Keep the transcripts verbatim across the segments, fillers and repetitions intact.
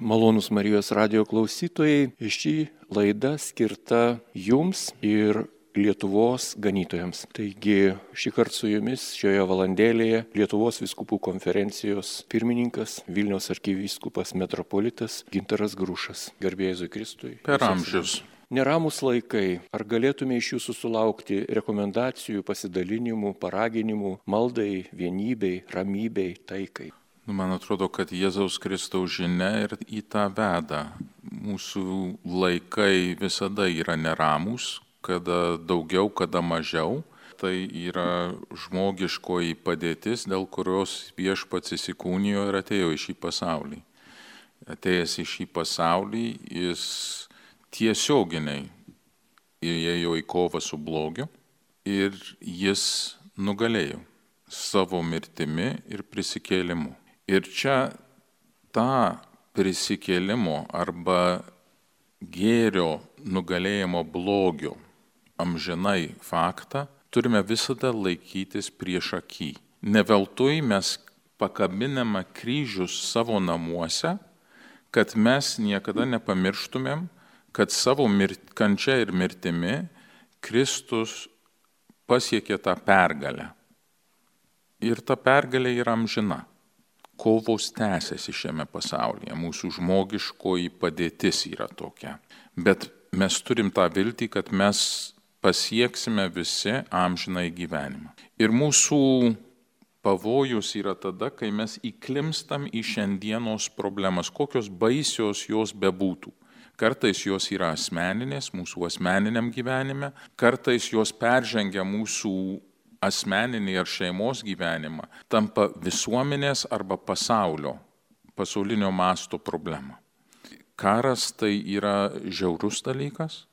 Malonūs Marijos radijo klausytojai, ši laida skirta jums ir Lietuvos ganytojams. Taigi šį kartą su jumis šioje valandėlėje Lietuvos vyskupų konferencijos pirmininkas, Vilniaus arkivyskupas metropolitas Gintaras Grušas. Garbė Jėzui Kristui. Per amžius. Neramus laikai. Ar galėtume iš jūsų sulaukti rekomendacijų, pasidalinimų, paraginimų, maldai, vienybei, ramybei, taikai? Man atrodo, kad Jėzaus Kristaus žinia ir į tą veda. Mūsų laikai visada yra neramus, kada daugiau, kada mažiau. Tai yra žmogiškoji padėtis, dėl kurios Viešpats įsikūnijo ir atėjo į šį pasaulį. Atėjęs į šį pasaulį, jis tiesioginiai įėjo į kovą su blogiu ir jis nugalėjo savo mirtimi ir prisikėlimu. Ir čia tą prisikėlimo arba gėrio nugalėjimo blogio amžinai faktą turime visada laikytis prieš akį. Ne veltui mes pakabiname kryžius savo namuose, kad mes niekada nepamirštumėm, kad savo mirt, kančia ir mirtimi Kristus pasiekė tą pergalę. Ir ta pergalė yra amžina. Kovos tęsiasi šiame pasaulyje, mūsų žmogiškoji padėtis yra tokia. Bet mes turim tą viltį, kad mes pasieksime visi amžinai gyvenimą. Ir mūsų pavojus yra tada, kai mes įklimstam į šiandienos problemas, kokios baisios jos bebūtų. Kartais jos yra asmeninės, mūsų asmeniniam gyvenime, kartais jos peržengia mūsų asmeninį ar šeimos gyvenimą, tampa visuomenės arba pasaulio, pasaulinio masto problema. Karas tai yra žiaurus dalykas,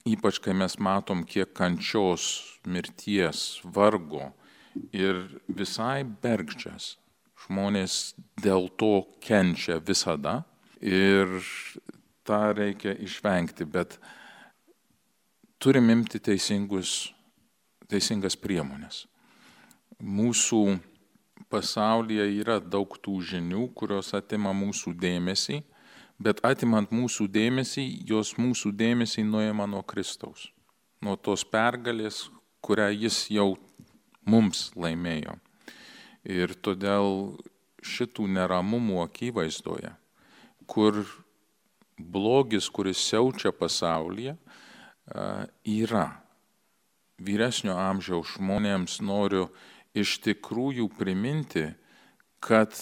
ypač kai mes matom, kiek kančios, mirties, vargo ir visai bergždžias. Žmonės dėl to kenčia visada ir tą reikia išvengti, bet turim imti teisingus teisingas priemonės. Mūsų pasaulyje yra daug tų žinių, kurios atima mūsų dėmesį, bet atimant mūsų dėmesį, jos mūsų dėmesį nuima nuo Kristaus, nuo tos pergalės, kurią jis jau mums laimėjo. Ir todėl šitų neramumų akivaizdoje, kur blogis, kuris siaučia pasaulyje, yra. Vyresnio amžiaus žmonėms noriu iš tikrųjų priminti, kad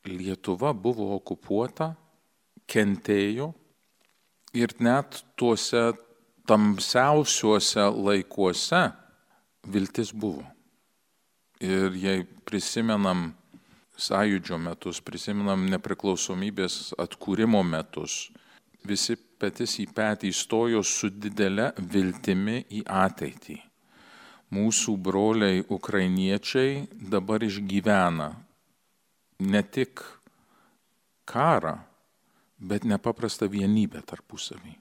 Lietuva buvo okupuota, kentėjo ir net tuose tamsiausiuose laikuose viltis buvo. Ir jei prisimenam sąjūdžio metus, prisimenam nepriklausomybės atkūrimo metus, visi petis į petį įstojo su didele viltimi į ateitį. Mūsų broliai ukrainiečiai dabar išgyvena ne tik karą, bet nepaprastą vienybę tarpusavį.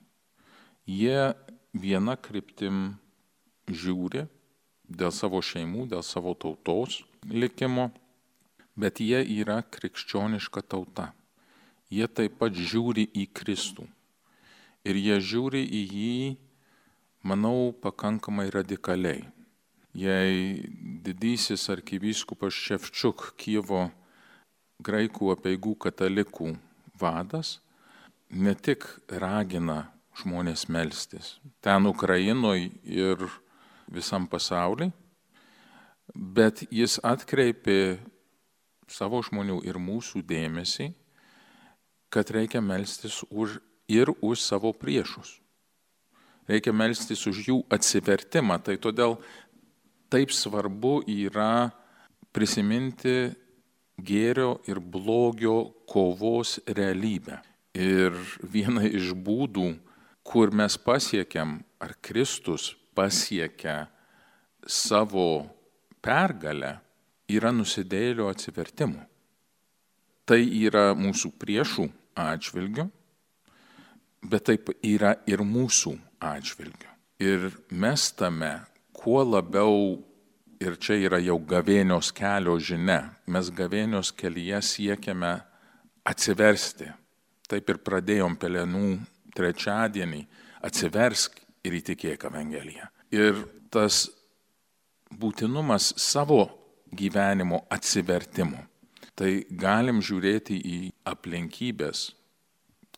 Jie viena kryptim žiūri dėl savo šeimų, dėl savo tautos likimo, bet jie yra krikščioniška tauta. Jie taip pat žiūri į Kristų. Ir jie žiūri į jį, manau, pakankamai radikaliai. Jei didysis arkivyskupas Ševčiuk, Kijevo graikų apeigų katalikų vadas, ne tik ragina žmonės melstis ten Ukrainoje ir visam pasauliui, bet jis atkreipė savo žmonių ir mūsų dėmesį, kad reikia melstis už ir už savo priešus. Reikia melstis už jų atsivertimą. Tai todėl taip svarbu yra prisiminti gėrio ir blogio kovos realybę. Ir viena iš būdų, kur mes pasiekiam, ar Kristus pasiekia savo pergalę, yra nusidėjėlio atsivertimu. Tai yra mūsų priešų atžvilgiu, bet taip yra ir mūsų atžvilgiu. Ir mes tame, kuo labiau, ir čia yra jau gavėnios kelio žinia, mes gavėnios kelyje siekiame atsiversti Taip ir pradėjom Pelenų trečiadienį, atsiversk ir įtikėk Evangeliją. Ir tas būtinumas savo gyvenimo atsivertimo. Tai galim žiūrėti į aplinkybės,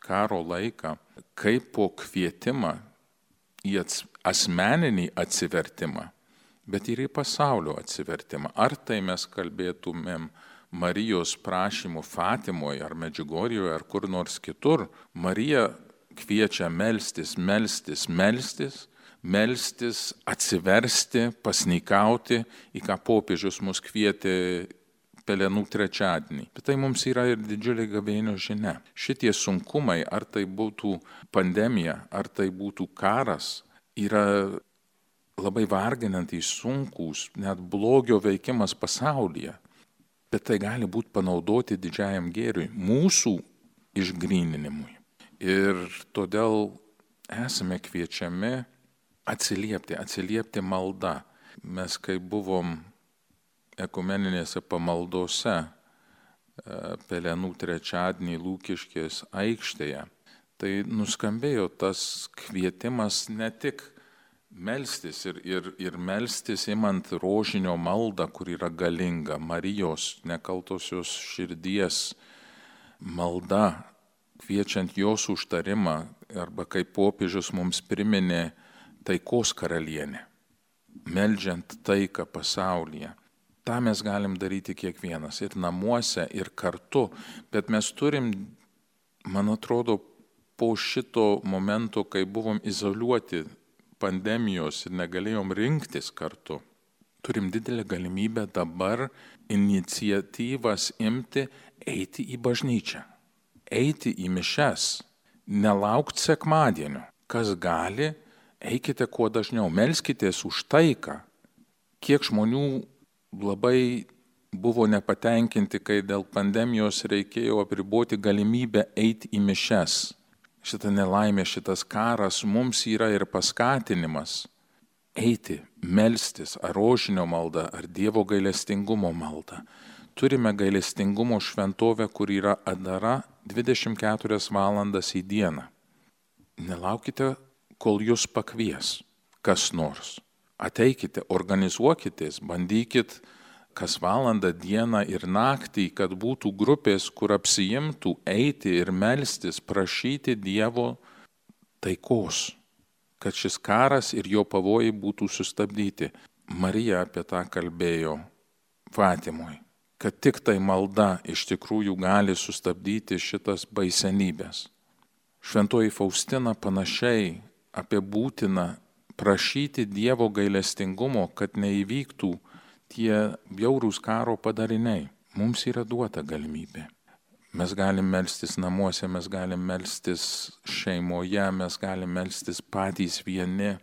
karo laiką, kaip po kvietimą į asmeninį atsivertimą, bet ir į pasaulio atsivertimą. Ar tai mes kalbėtumėm Marijos prašymų Fatimoje ar Medžiugorjoje ar kur nors kitur, Marija kviečia melstis, melstis, melstis, melstis, atsiversti, pasnikauti, į ką popiežius mus kvietė Pelenų trečiadienį. Bet tai mums yra ir didžiulė gavėnios žinia. Šitie sunkumai, ar tai būtų pandemija, ar tai būtų karas, yra labai varginantys, sunkūs, net blogio veikimas pasaulyje. Bet tai gali būti panaudoti didžiajam gėriui, mūsų išgryninimui. Ir todėl esame kviečiami atsiliepti, atsiliepti malda. Mes kai buvom ekumeninėse pamaldose Pelenų trečiadienį Lūkiškės aikštėje, tai nuskambėjo tas kvietimas ne tik melstis ir, ir, ir melstis imant rožinio maldą, kur yra galinga, Marijos nekaltosios širdies malda, kviečiant jos užtarimą, arba kaip popiežius mums priminė, taikos karalienė, meldžiant taiką pasaulyje. Ta mes galim daryti kiekvienas, ir namuose, ir kartu, bet mes turim, man atrodo, po šito momento, kai buvom izoliuoti pandemijos ir negalėjom rinktis kartu, turim didelę galimybę dabar iniciatyvas imti, eiti į bažnyčią, eiti į mišias, nelaukti sekmadienio. Kas gali, eikite kuo dažniau, melskitės už taiką. Kiek žmonių labai buvo nepatenkinti, kai dėl pandemijos reikėjo apriboti galimybę eiti į mišias. Šitą nelaimę, šitas karas mums yra ir paskatinimas eiti, melstis, ar rožinio maldą, ar Dievo gailestingumo maldą. Turime gailestingumo šventovę, kur yra atdara dvidešimt keturias valandas į dieną. Nelaukite, kol jūs pakvies kas nors. Ateikite, organizuokitės, bandykit kas valandą, dieną ir naktį, kad būtų grupės, kur apsiimtų eiti ir melstis, prašyti Dievo taikos, kad šis karas ir jo pavojai būtų sustabdyti. Marija apie tą kalbėjo Fatimoj, kad tik tai malda iš tikrųjų gali sustabdyti šitas baisenybės. Šventoji Faustina panašiai apie būtiną prašyti Dievo gailestingumo, kad neįvyktų tie bjaurūs karo padariniai. Mums yra duota galimybė. Mes galim melstis namuose, mes galim melstis šeimoje, mes galim melstis patys vieni,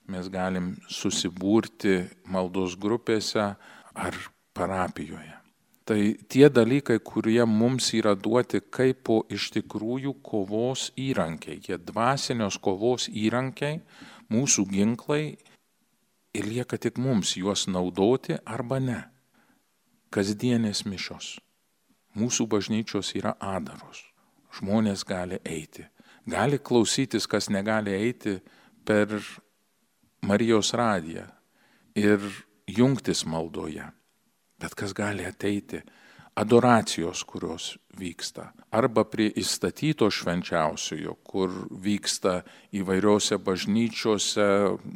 mes galim susibūrti maldos grupėse ar parapijoje. Tai tie dalykai, kurie mums yra duoti kaip po iš tikrųjų kovos įrankiai, jie dvasinios kovos įrankiai, mūsų ginklai, ir lieka tik mums juos naudoti arba ne. Kasdienės mišios. Mūsų bažnyčios yra adaros. Žmonės gali eiti. Gali klausytis, kas negali eiti per Marijos radiją ir jungtis maldoje. Bet kas gali ateiti, adoracijos, kurios vyksta. Arba prie įstatyto švenčiausiojo, kur vyksta įvairiose bažnyčiose,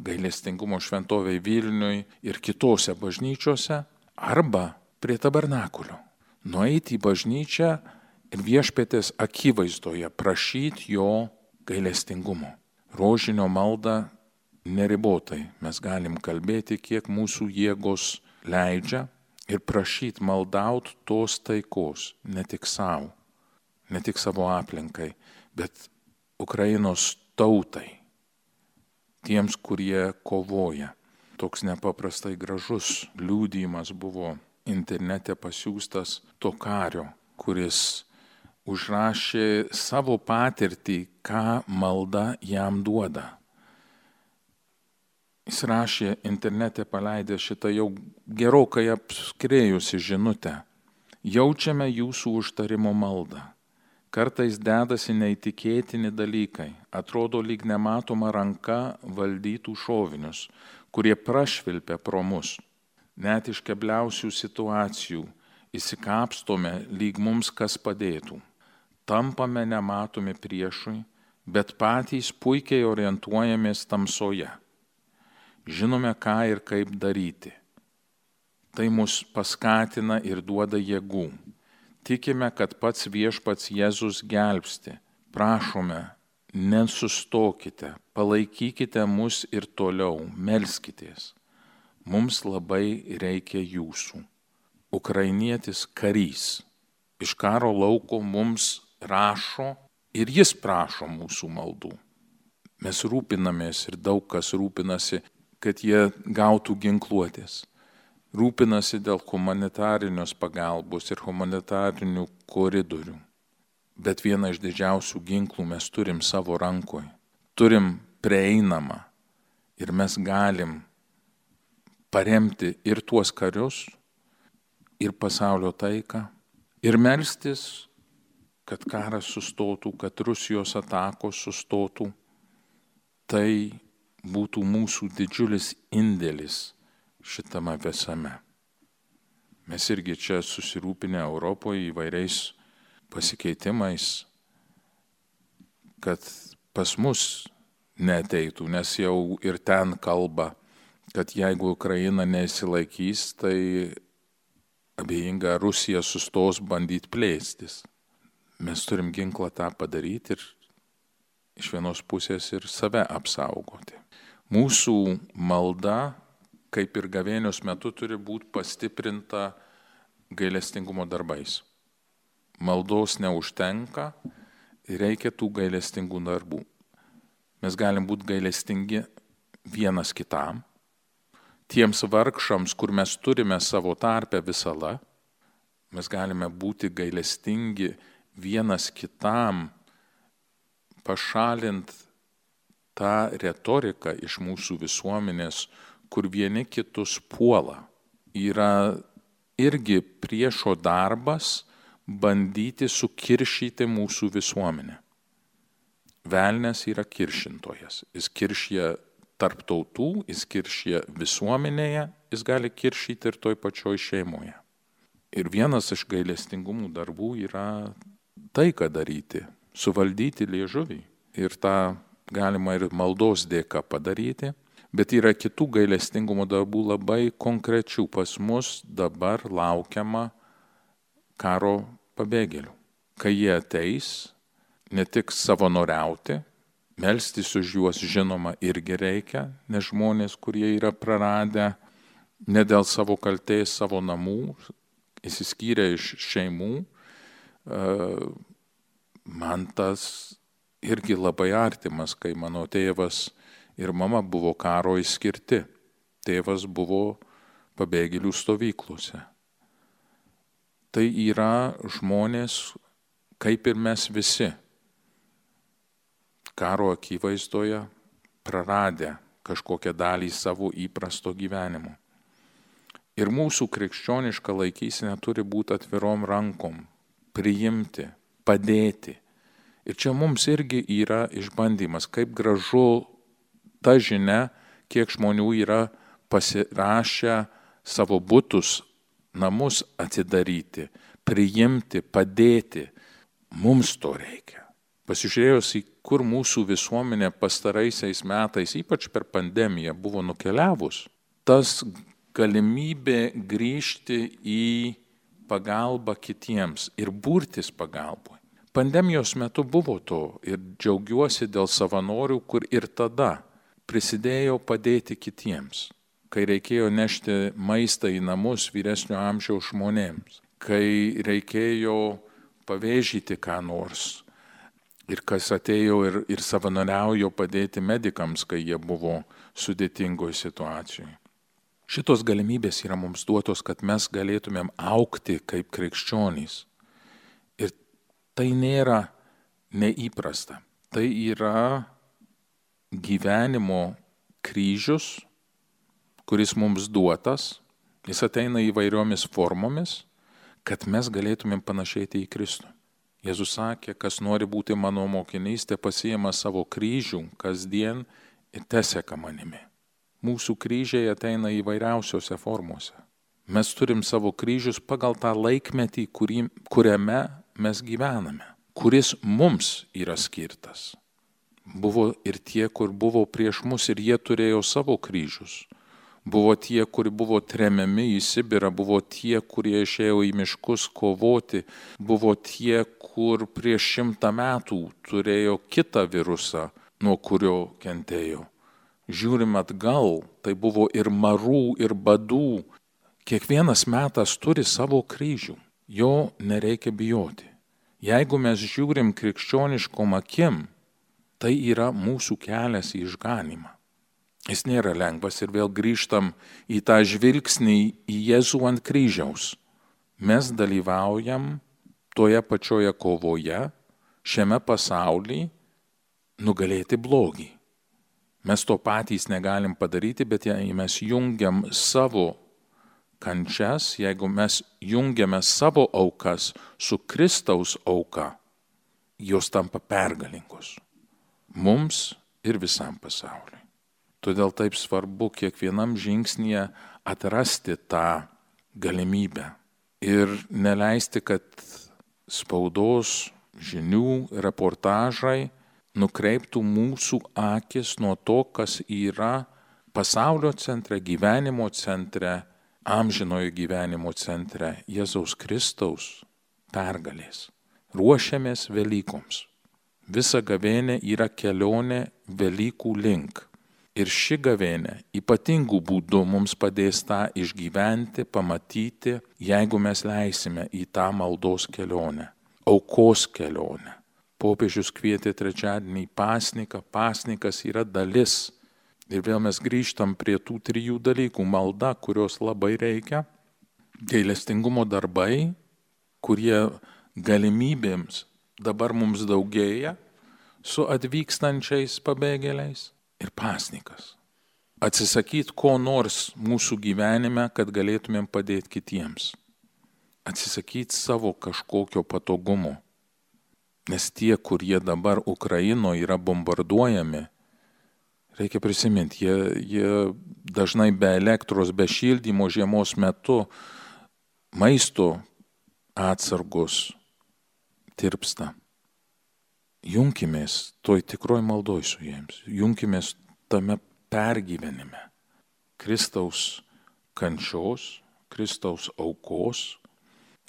gailestingumo šventovėj Vilniui ir kitose bažnyčiose. Arba prie tabernakulio. Nueiti į bažnyčią ir viešpatės akivaizdoje prašyti jo gailestingumo. Rožinio maldą neribotai. Mes galim kalbėti, kiek mūsų jėgos leidžia. Ir prašyti maldaut tos taikos, ne tik savo, ne tik savo aplinkai, bet Ukrainos tautai, tiems, kurie kovoja. Toks nepaprastai gražus liudijimas buvo internete pasiųstas to kario, kuris užrašė savo patirtį, ką malda jam duoda. Jis rašė internete paleidę šitą jau gerokai apskrėjusi žinutę. Jaučiame jūsų užtarimo maldą. Kartais dedasi neįtikėtini dalykai, atrodo lyg nematoma ranka valdytų šovinius, kurie prašvilpia pro mus. Net iš kebliausių situacijų įsikapstome, lyg mums kas padėtų. Tampame nematomi priešui, bet patys puikiai orientuojamės tamsoje. Žinome, ką ir kaip daryti. Tai mus paskatina ir duoda jėgų. Tikime, kad pats viešpats Jėzus gelbsti. Prašome, nesustokite, palaikykite mus ir toliau, melskitės. Mums labai reikia jūsų. Ukrainietis karys iš karo lauko mums rašo ir jis prašo mūsų maldų. Mes rūpinamės ir daug kas rūpinasi, kad jie gautų ginkluotės. Rūpinasi dėl humanitarinios pagalbos ir humanitarinių koridorių. Bet vieną iš didžiausių ginklų mes turim savo rankoje. Turim prieinamą ir mes galim paremti ir tuos karius, ir pasaulio taiką, ir melstis, kad karas sustotų, kad Rusijos atakos sustotų. Tai būtų mūsų didžiulis indėlis šitame visame. Mes irgi čia susirūpinę Europoje įvairiais pasikeitimais, kad pas mus neateitų, nes jau ir ten kalba, kad jeigu Ukraina nesilaikys, tai abejinga Rusija sustos bandyti plėstis. Mes turim ginklą tą padaryti ir iš vienos pusės ir save apsaugoti. Mūsų malda, kaip ir gavėnios metu, turi būti pastiprinta gailestingumo darbais. Maldos neužtenka, reikia tų gailestingų darbų. Mes galim būti gailestingi vienas kitam, tiems vargšams, kur mes turime savo tarpę visada, mes galime būti gailestingi vienas kitam, pašalint tą retoriką iš mūsų visuomenės, kur vieni kitus puola. Yra irgi priešo darbas bandyti sukiršyti mūsų visuomenę. Velnias yra kiršintojas. Jis kiršia tarp tautų, jis kiršia visuomenėje, jis gali kiršyti ir toj pačioj šeimoje. Ir vienas iš gailestingumų darbų yra taiką daryti, suvaldyti liežuvį. Ir tą galima ir maldos dėka padaryti. Bet yra kitų gailestingumo darbų labai konkrečių. Pas mus dabar laukiama karo pabėgėlių. Kai jie ateis, ne tik savanoriauti, melstis už juos žinoma irgi reikia, nes žmonės, kurie yra praradę ne dėl savo kaltės savo namų, išsiskyrę iš šeimų, man tas irgi labai artimas, kai mano tėvas ir mama buvo karo išskirti. Tėvas buvo pabėgėlių stovyklose. Tai yra žmonės, kaip ir mes visi, karo akivaizdoje praradę kažkokią dalį savo įprasto gyvenimo. Ir mūsų krikščioniška laikysena turi būti atvirom rankom, priimti, padėti. Ir čia mums irgi yra išbandymas, kaip gražu ta žinia, kiek žmonių yra pasirašę savo butus, namus atidaryti, priimti, padėti. Mums to reikia. Pasižiūrėjus į kur mūsų visuomenė pastaraisiais metais, ypač per pandemiją, buvo nukeliavus, tas galimybė grįžti į pagalbą kitiems ir burtis pagalboj. Pandemijos metu buvo to ir džiaugiuosi dėl savanorių, kur ir tada prisidėjo padėti kitiems, kai reikėjo nešti maistą į namus vyresnio amžiaus žmonėms, kai reikėjo pavėžyti ką nors ir kas atėjo ir, ir savanoriaujo padėti medikams, kai jie buvo sudėtingoje situacijoje. Šitos galimybės yra mums duotos, kad mes galėtumėm augti kaip krikščionys. Ir tai nėra neįprasta. Tai yra gyvenimo kryžius, kuris mums duotas, jis ateina įvairiomis formomis, kad mes galėtumėm panašėti į Kristų. Jėzus sakė, kas nori būti mano mokinys, te pasiima savo kryžių kasdien ir teseka manimi. Mūsų kryžiai ateina įvairiausiose formose. Mes turim savo kryžius pagal tą laikmetį, kurį, kuriame mes gyvename, kuris mums yra skirtas. Buvo ir tie, kur buvo prieš mus ir jie turėjo savo kryžius. Buvo tie, kurie buvo tremiami į Sibirą, buvo tie, kurie išėjo į miškus kovoti, buvo tie, kur prieš šimtą metų turėjo kitą virusą, nuo kurio kentėjo. Žiūrim atgal, tai buvo ir marų, ir badų. Kiekvienas metas turi savo kryžių, jo nereikia bijoti. Jeigu mes žiūrim krikščioniškom akim, tai yra mūsų kelias į išganymą. Jis nėra lengvas ir vėl grįžtam į tą žvilgsnį į Jėzų ant kryžiaus. Mes dalyvaujam toje pačioje kovoje, šiame pasaulyje, nugalėti blogį. Mes to patys negalim padaryti, bet jei mes jungiam savo kančias, jeigu mes jungiame savo aukas su Kristaus auka, jos tampa pergalingos. Mums ir visam pasauliui. Todėl taip svarbu kiekvienam žingsnyje atrasti tą galimybę ir neleisti, kad spaudos, žinių, reportažai nukreiptų mūsų akis nuo to, kas yra pasaulio centre, gyvenimo centre, amžinojo gyvenimo centre, Jėzaus Kristaus pergalės. Ruošiamės Velykoms. Visa gavėnė yra kelionė Velykų link. Ir ši gavėnė ypatingų būdų mums padės tą išgyventi, pamatyti, jeigu mes leisime į tą maldos kelionę, aukos kelionę. Popiežius kvietė trečiadienį į pasniką, pasnikas yra dalis. Ir vėl mes grįžtam prie tų trijų dalykų. Malda, kurios labai reikia, gailestingumo darbai, kurie galimybėms dabar mums daugėja su atvykstančiais pabėgėliais. Ir pasnikas. Atsisakyti ko nors mūsų gyvenime, kad galėtumėm padėti kitiems. Atsisakyti savo kažkokio patogumo. Nes tie, kurie dabar Ukrainoje yra bombarduojami, reikia prisiminti, jie, jie dažnai be elektros, be šildymo žiemos metu maisto atsargos tirpsta. Junkimės toj tikroj maldoj su jiems, junkimės tame pergyvenime. Kristaus kančios, Kristaus aukos,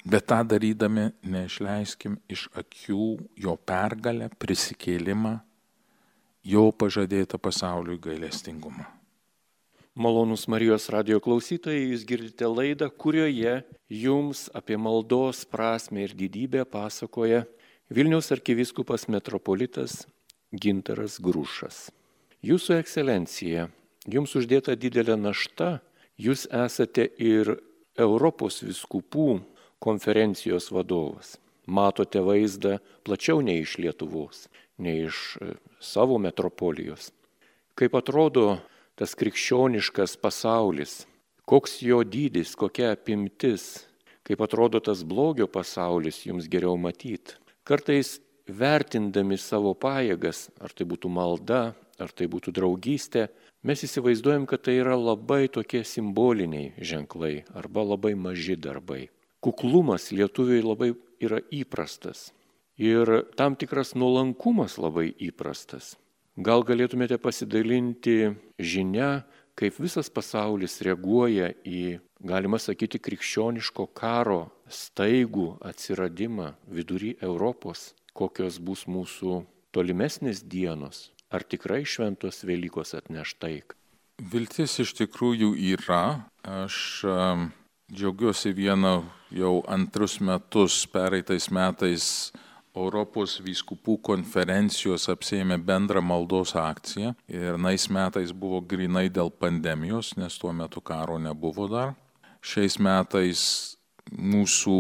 bet tą darydami neišleiskim iš akių jo pergalę, prisikėlimą, jo pažadėtą pasauliui gailestingumą. Malonūs Marijos radijo klausytojai, jūs girdite laidą, kurioje jums apie maldos prasmę ir didybę pasakoja Vilniaus arkivyskupas metropolitas Gintaras Grušas. Jūsų ekscelencija, jums uždėta didelė našta, jūs esate ir Europos vyskupų konferencijos vadovas. Matote vaizdą plačiau nei iš Lietuvos, nei iš savo metropolijos. Kaip atrodo tas krikščioniškas pasaulis, koks jo dydis, kokia apimtis, kaip atrodo tas blogio pasaulis, jums geriau matyti. Kartais vertindami savo pajėgas, ar tai būtų malda, ar tai būtų draugystė, mes įsivaizduojam, kad tai yra labai tokie simboliniai ženklai arba labai maži darbai. Kuklumas lietuviui labai yra įprastas ir tam tikras nuolankumas labai įprastas. Gal galėtumėte pasidalinti žinia, kaip visas pasaulis reaguoja į, galima sakyti, krikščioniško karo staigų atsiradimą vidury Europos, kokios bus mūsų tolimesnės dienos, ar tikrai šventos Velykos atneš taiką? Viltis iš tikrųjų yra. Aš um, džiaugiuosi vieną jau antrus metus, pereitais metais Europos vyskupų konferencijos apsėmė bendrą maldos akciją ir nais metais buvo grinai dėl pandemijos, nes tuo metu karo nebuvo dar. Šiais metais mūsų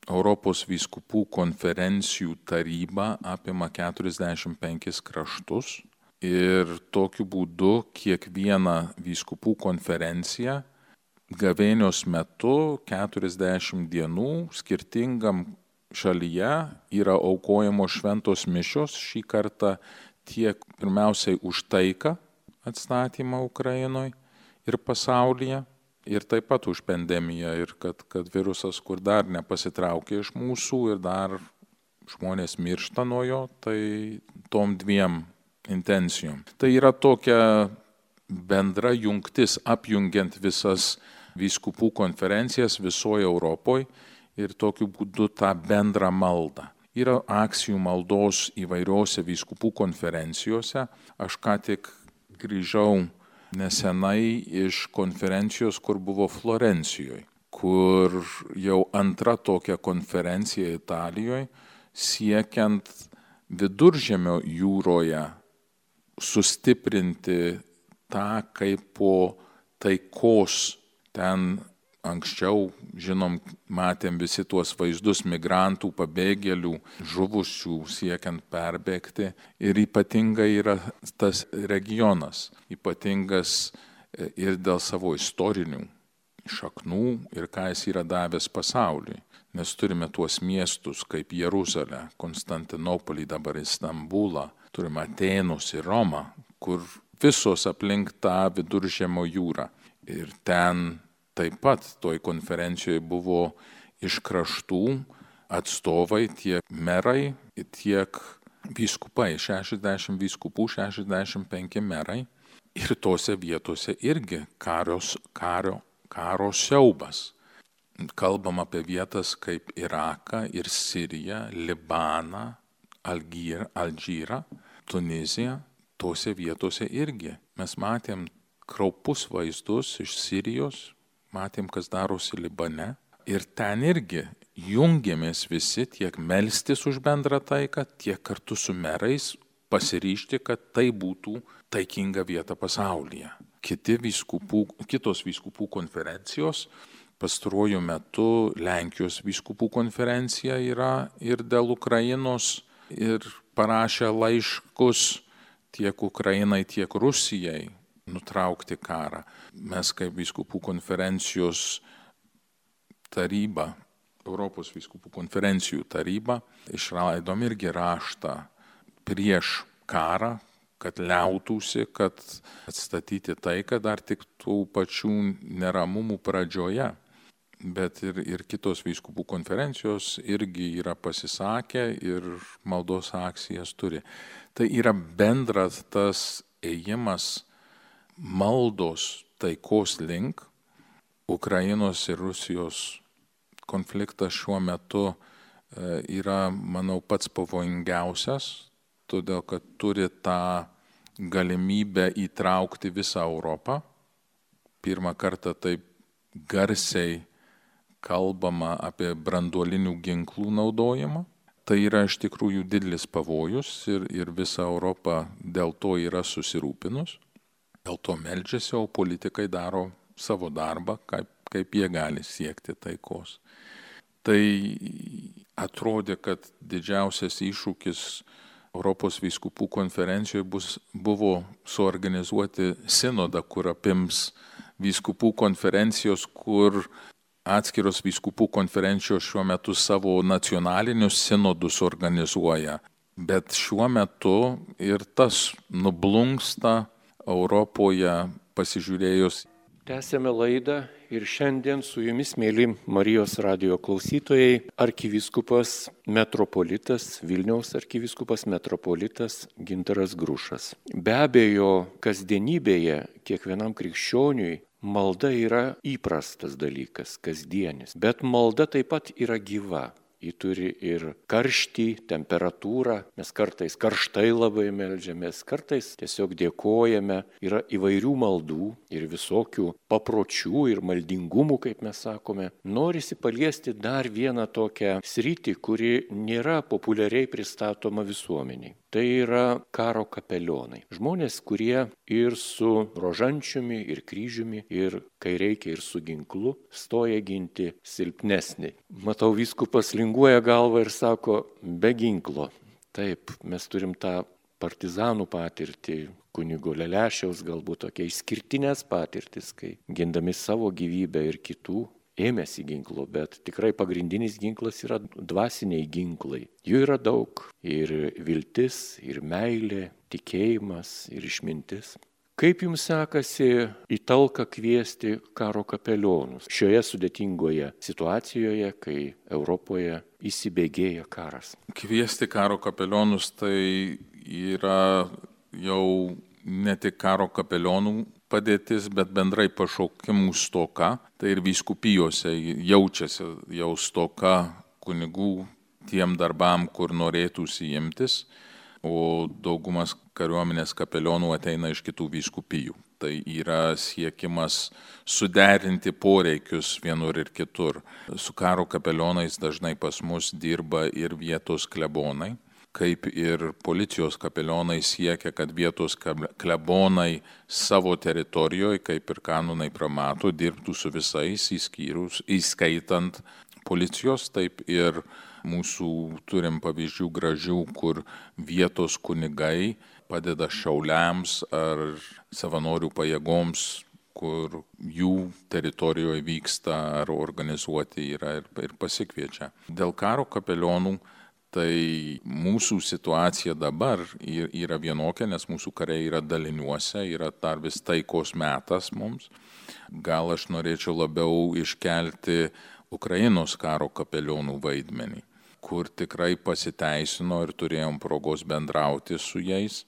Europos vyskupų konferencijų taryba apima keturiasdešimt penkis kraštus ir tokiu būdu kiekviena vyskupų konferencija gavėnios metu keturiasdešimt dienų skirtingam šalyje yra aukojamos šventos mišios šį kartą tiek pirmiausiai už taiką atstatymą Ukrainoje ir pasaulyje, ir taip pat už pandemiją, ir kad, kad virusas, kur dar nepasitraukė iš mūsų ir dar žmonės miršta nuo jo, tai tom dviem intencijom. Tai yra tokia bendra jungtis, apjungiant visas vyskupų konferencijas visoje Europoje ir tokiu būdu tą bendrą maldą. Yra akcijų maldos įvairiose vyskupų konferencijose. Aš ką tik grįžau nesenai iš konferencijos, kur buvo Florencijoje, kur jau antra tokia konferencija Italijoje, siekiant Viduržemio jūroje sustiprinti tą kaip po taikos. Ten anksčiau, žinom, matėm visi tuos vaizdus migrantų, pabėgėlių, žuvusių siekiant perbėgti. Ir ypatingai yra tas regionas, ypatingas ir dėl savo istorinių šaknų ir ką jis yra davęs pasauliui. Nes turime tuos miestus kaip Jeruzalę, Konstantinopolį, dabar Istambulą, turime Atėnus ir Romą, kur visos aplink tą Viduržemio jūrą. Ir ten taip pat toj konferencijoje buvo iš kraštų atstovai, tiek merai, tiek vyskupai, šešiasdešimt vyskupų, šešiasdešimt penki merai. Ir tose vietose irgi karios, kario, karo siaubas. Kalbam apie vietas kaip Iraką ir Siriją, Libaną, Algyr, Alžyrą, Tuniziją. Tose vietose irgi mes matėm kraupus vaizdus iš Sirijos, matėm, kas darosi Libane. Ir ten irgi jungiamės visi tiek melstis už bendrą taiką, tiek kartu su merais pasiryžti, kad tai būtų taikinga vieta pasaulyje. Kiti vyskupų, kitos vyskupų konferencijos, pastaruoju metu Lenkijos vyskupų konferencija yra ir dėl Ukrainos ir parašė laiškus tiek Ukrainai, tiek Rusijai nutraukti karą. Mes kaip vyskupų konferencijos taryba, Europos vyskupų konferencijų taryba, išleidom irgi raštą prieš karą, kad liautųsi, kad atstatyti taiką dar tik tų pačių neramumų pradžioje. Bet ir, ir kitos vyskupų konferencijos irgi yra pasisakę ir maldos akcijas turi. Tai yra bendras tas ėjimas maldos taikos link. Ukrainos ir Rusijos konfliktas šiuo metu yra, manau, pats pavojingiausias, todėl kad turi tą galimybę įtraukti visą Europą. Pirmą kartą taip garsiai kalbama apie branduolinių ginklų naudojimą. Tai yra iš tikrųjų didelis pavojus ir, ir visa Europa dėl to yra susirūpinus. Dėl to meldžiasi, o politikai daro savo darbą, kaip, kaip jie gali siekti taikos. Tai atrodė, kad didžiausias iššūkis Europos vyskupų konferencijoje bus, buvo suorganizuoti sinodą, kur apims vyskupų konferencijos, kur atskiros vyskupų konferencijos šiuo metu savo nacionalinius sinodus organizuoja. Bet šiuo metu ir tas nublunksta Europoje pasižiūrėjus. Tęsėme laidą ir šiandien su jumis, mėly Marijos radijo klausytojai, arkivyskupas metropolitas, Vilniaus arkivyskupas metropolitas Gintaras Grušas. Be abejo, kasdienybėje kiekvienam krikščioniui malda yra įprastas dalykas, kasdienis, bet malda taip pat yra gyva. Ji turi ir karštį, temperatūrą, mes kartais karštai labai meldžiamės, kartais tiesiog dėkojame, yra įvairių maldų ir visokių papročių ir maldingumų, kaip mes sakome. Norisi paliesti dar vieną tokią sritį, kuri nėra populiariai pristatoma visuomeniai. Tai yra karo kapelionai. Žmonės, kurie ir su rožančiumi, ir kryžiumi, ir kai reikia, ir su ginklu, stoja ginti silpnesnį. Matau, vyskupas linguoja galvą ir sako, be ginklo. Taip, mes turim tą partizanų patirtį, kunigo Lelešiaus galbūt tokia išskirtinės patirtis, kai gindami savo gyvybę ir kitų, ėmėsi ginklo, bet tikrai pagrindinis ginklas yra dvasiniai ginklai. Jų yra daug ir viltis, ir meilė, tikėjimas, ir išmintis. Kaip jums sekasi į talką kviesti karo kapelionus šioje sudėtingoje situacijoje, kai Europoje įsibėgėja karas? Kviesti karo kapelionus tai yra jau ne tik karo kapelionų padėtis, bet bendrai pašaukimų stoka. Tai ir vyskupijose jaučiasi jau stoka kunigų tiem darbam, kur norėtųsi imtis, o daugumas kariuomenės kapelionų ateina iš kitų vyskupijų. Tai yra siekimas suderinti poreikius vienur ir kitur. Su karo kapelionais dažnai pas mus dirba ir vietos klebonai, kaip ir policijos kapelionai siekia, kad vietos klebonai savo teritorijoje, kaip ir kanonai pramato, dirbtų su visais įskyrus, įskaitant policijos, taip ir mūsų turim pavyzdžių gražių, kur vietos kunigai padeda šauliams ar savanorių pajėgoms, kur jų teritorijoje vyksta ar organizuoti yra ir, ir pasikviečia. Dėl karo kapelionų tai mūsų situacija dabar yra vienokia, nes mūsų kariai yra daliniuose, yra dar vis taikos metas mums. Gal aš norėčiau labiau iškelti Ukrainos karo kapelionų vaidmenį, kur tikrai pasiteisino ir turėjom progos bendrauti su jais.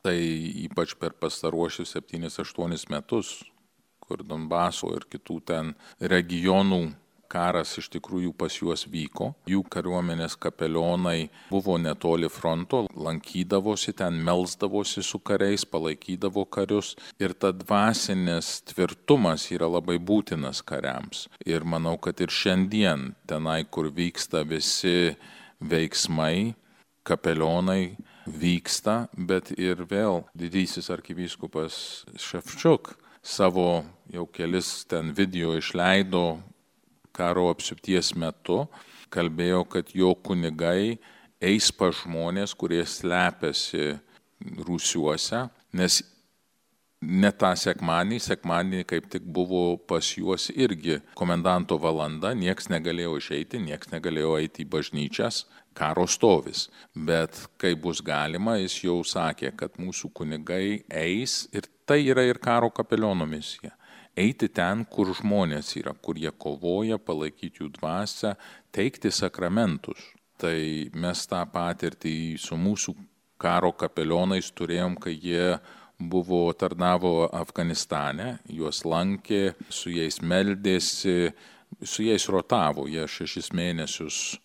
Tai ypač per pastaruosius septynis aštuonis metus, kur Donbaso ir kitų ten regionų karas iš tikrųjų pas juos vyko. Jų kariuomenės kapelionai buvo netoli fronto, lankydavosi ten, melsdavosi su kariais, palaikydavo karius. Ir ta dvasinis tvirtumas yra labai būtinas kariams. Ir manau, kad ir šiandien tenai, kur vyksta visi veiksmai, kapelionai vyksta, bet ir vėl didysis arkivyskupas Ševčiuk savo jau kelis ten video išleido karo apsupties metu, kalbėjo, kad jo kunigai eis pas žmonės, kurie slepiasi rūsiuose, nes ne tą sekmanį, sekmanį kaip tik buvo pas juos irgi komendanto valanda, nieks negalėjo išeiti, nieks negalėjo eiti į bažnyčias, karo stovis. Bet kai bus galima, jis jau sakė, kad mūsų kunigai eis ir tai yra ir karo kapeliono misija. Eiti ten, kur žmonės yra, kur jie kovoja, palaikyti jų dvasią, teikti sakramentus. Tai mes tą patirtį su mūsų karo kapelionais turėjom, kai jie buvo tarnavo Afganistane, juos lankė, su jais meldėsi, su jais rotavo, jie šešis mėnesius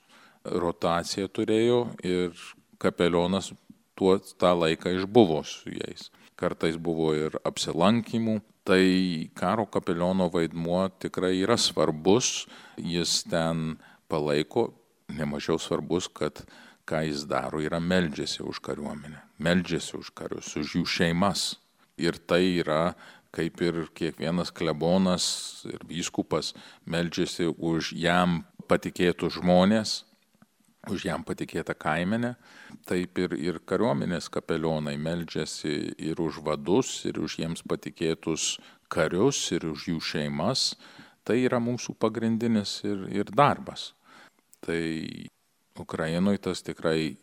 rotaciją turėjo ir kapelionas tuo tą laiką išbuvo su jais. Kartais buvo ir apsilankymų. Tai karo kapeliono vaidmuo tikrai yra svarbus, jis ten palaiko, nemažiau svarbus, kad ką jis daro, yra meldžiasi už kariuomenę, meldžiasi už karius, už jų šeimas. Ir tai yra, kaip ir kiekvienas klebonas ir vyskupas meldžiasi už jam patikėtus žmonės, už jam patikėtą kaimenę, taip ir, ir kariuomenės kapelionai meldžiasi ir už vadus, ir už jiems patikėtus karius, ir už jų šeimas. Tai yra mūsų pagrindinis ir, ir darbas. Tai Ukrainoje tas tikrai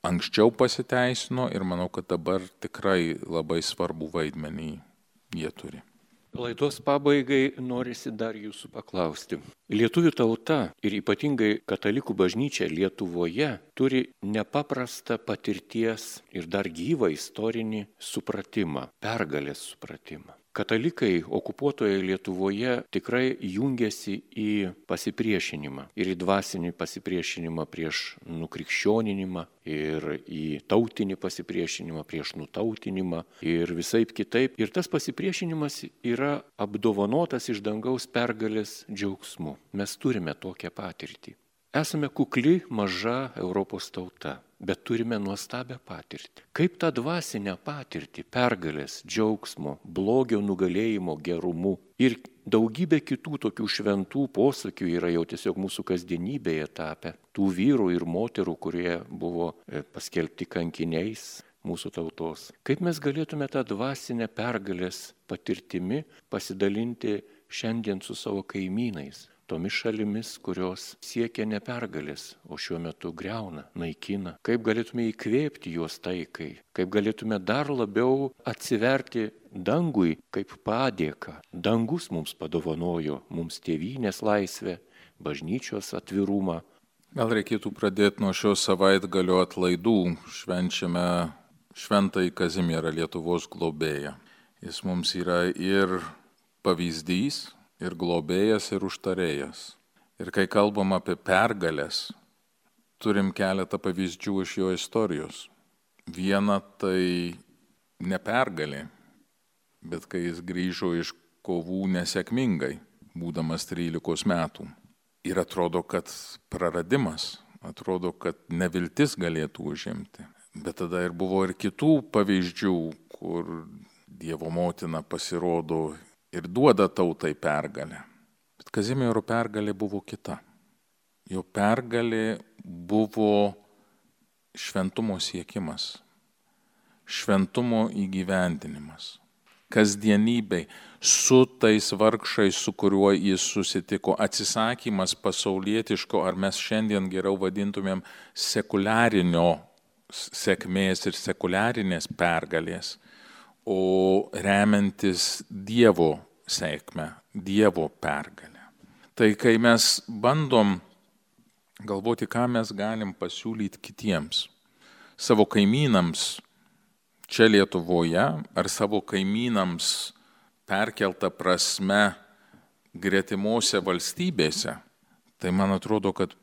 anksčiau pasiteisino ir manau, kad dabar tikrai labai svarbu vaidmenį jie turi. Laidos pabaigai norisi dar jūsų paklausti. Lietuvių tauta ir ypatingai katalikų bažnyčia Lietuvoje turi nepaprastą patirties ir dar gyvą istorinį supratimą, pergalės supratimą. Katalikai okupuotoje Lietuvoje tikrai jungiasi į pasipriešinimą ir į dvasinį pasipriešinimą prieš nukrikščioninimą ir į tautinį pasipriešinimą prieš nutautinimą ir visaip kitaip. Ir tas pasipriešinimas yra apdovanotas iš dangaus pergalės džiaugsmu. Mes turime tokią patirtį. Esame kukli, maža Europos tauta, bet turime nuostabią patirtį. Kaip tą dvasinę patirtį, pergalės, džiaugsmo, blogio nugalėjimo gerumu ir daugybė kitų tokių šventų posakių yra jau tiesiog mūsų kasdienybėje tapę. Tų vyrų ir moterų, kurie buvo paskelbti kankiniais mūsų tautos. Kaip mes galėtume tą dvasinę pergalės patirtimi pasidalinti šiandien su savo kaimynais, tomis šalimis, kurios siekia ne pergalės, o šiuo metu greuna, naikina. Kaip galėtume įkvėpti juos taikai, kaip galėtume dar labiau atsiverti dangui kaip padėką. Dangus mums padovanojo, mums tėvynės laisvę, bažnyčios atvirumą. Gal reikėtų pradėti nuo šio savaitgalio atlaidų. Švenčiame Šventąjį Kazimierą, Lietuvos globėją. Jis mums yra ir pavyzdys, ir globėjas, ir užtarėjas. Ir kai kalbam apie pergalės, turim keletą pavyzdžių iš jo istorijos. Viena tai ne pergalė, bet kai jis grįžo iš kovų nesėkmingai, būdamas trylikos metų. Ir atrodo, kad praradimas, atrodo, kad neviltis galėtų užimti. Bet tada ir buvo ir kitų pavyzdžių, kur Dievo motina pasirodo ir duoda tautai pergalę. Bet Kazimiero pergalė buvo kita. Jo pergalė buvo šventumo siekimas, šventumo įgyvendinimas. Kasdienybei su tais vargšais, su kuriuo jis susitiko, atsisakymas pasaulietiško, ar mes šiandien geriau vadintumėm sekuliarinio sėkmės ir sekuliarinės pergalės, o remiantis Dievo sėkmę, Dievo pergalę. Tai kai mes bandom galvoti, ką mes galim pasiūlyti kitiems, savo kaimynams čia Lietuvoje, ar savo kaimynams perkelta prasme gretimose valstybėse, tai man atrodo, kad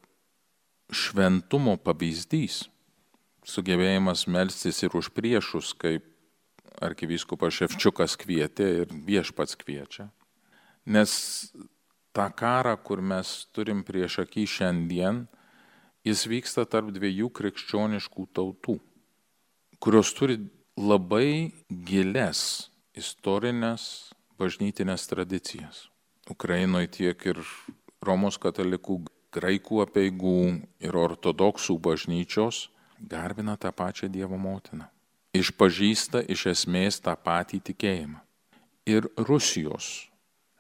šventumo pavyzdys, sugebėjimas melstis ir už priešus, kaip arkivyskupas Ševčiukas kvietė ir Viešpats kviečia. Nes tą karą, kur mes turim prieš akį šiandien, jis vyksta tarp dviejų krikščioniškų tautų, kurios turi labai giles istorinės bažnytinės tradicijas. Ukrainoje tiek ir Romos katalikų, graikų apeigų ir ortodoksų bažnyčios garbina tą pačią Dievo motiną. Išpažįsta iš esmės tą patį tikėjimą. Ir Rusijos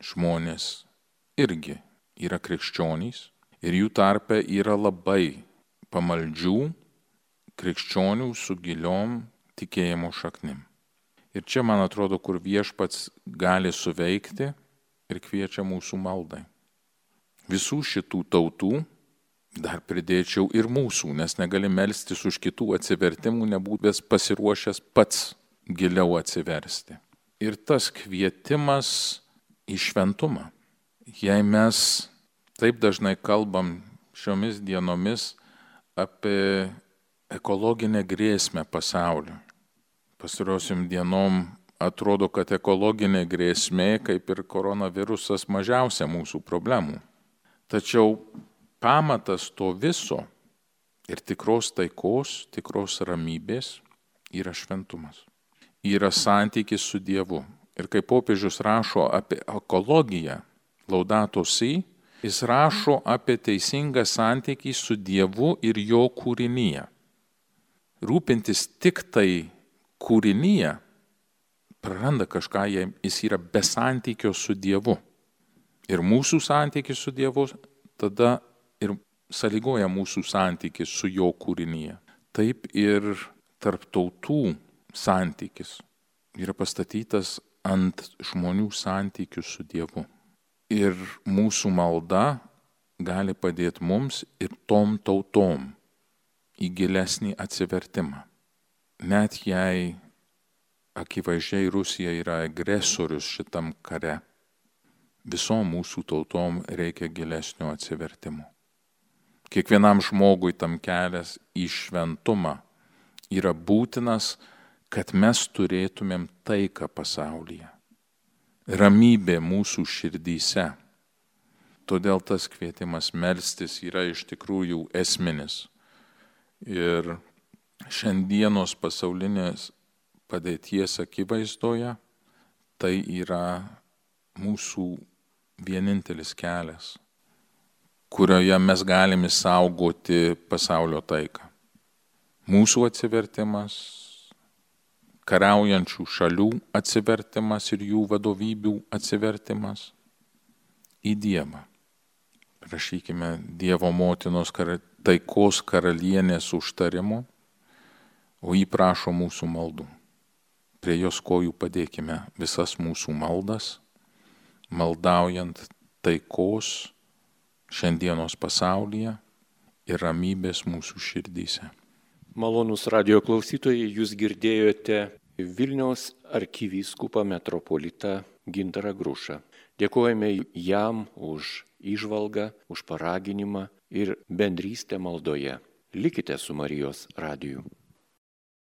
žmonės irgi yra krikščionys ir jų tarpe yra labai pamaldžių krikščionių su giliom tikėjimo šaknim. Ir čia, man atrodo, kur Viešpats gali suveikti ir kviečia mūsų maldai. Visų šitų tautų, dar pridėčiau ir mūsų, nes negali melstis už kitų atsivertimų, nebūdęs pasiruošęs pats giliau atsiversti. Ir tas kvietimas į šventumą. Jei mes taip dažnai kalbam šiomis dienomis apie ekologinę grėsmę pasauliu, pastarosiom dienom atrodo, kad ekologinė grėsmė, kaip ir koronavirusas, mažiausia mūsų problemų. Tačiau pamatas to viso ir tikros taikos, tikros ramybės yra šventumas. Yra santykis su Dievu. Ir kai popiežius rašo apie ekologiją, Laudato Si, jis rašo apie teisingą santykį su Dievu ir jo kūrinyje. Rūpintis tik tai kūrinyje praranda kažką, jis yra be santykio su Dievu. Ir mūsų santykis su Dievu tada ir sąlygoja mūsų santykis su jo kūrinyje. Taip ir tarp tautų santykis yra pastatytas ant žmonių santykių su Dievu. Ir mūsų malda gali padėti mums ir tom tautom į gilesnį atsivertimą. Net jei akivaizdžiai Rusija yra agresorius šitam kare, visom mūsų tautom reikia gilesnio atsivertimo. Kiekvienam žmogui tam kelias į šventumą yra būtinas, kad mes turėtumėm taiką pasaulyje, ramybė mūsų širdyse. Todėl tas kvietimas melstis yra iš tikrųjų esminis. Ir šiandienos pasaulinės padėties akivaizdoje tai yra mūsų vienintelis kelias, kurioje mes galime saugoti pasaulio taiką. Mūsų atsivertimas, kariaujančių šalių atsivertimas ir jų vadovybių atsivertimas į Dievą. Prašykime Dievo motinos kar... taikos karalienės užtarimo, o jį prašo mūsų maldų. Prie jos kojų padėkime visas mūsų maldas, maldaujant taikos šiandienos pasaulyje ir ramybės mūsų širdyse. Malonūs radijo klausytojai, jūs girdėjote Vilniaus arkivyskupą metropolitą Gintarą Grušą. Dėkojame jam už įžvalgą, už paraginimą ir bendrystę maldoje. Likite su Marijos radiju.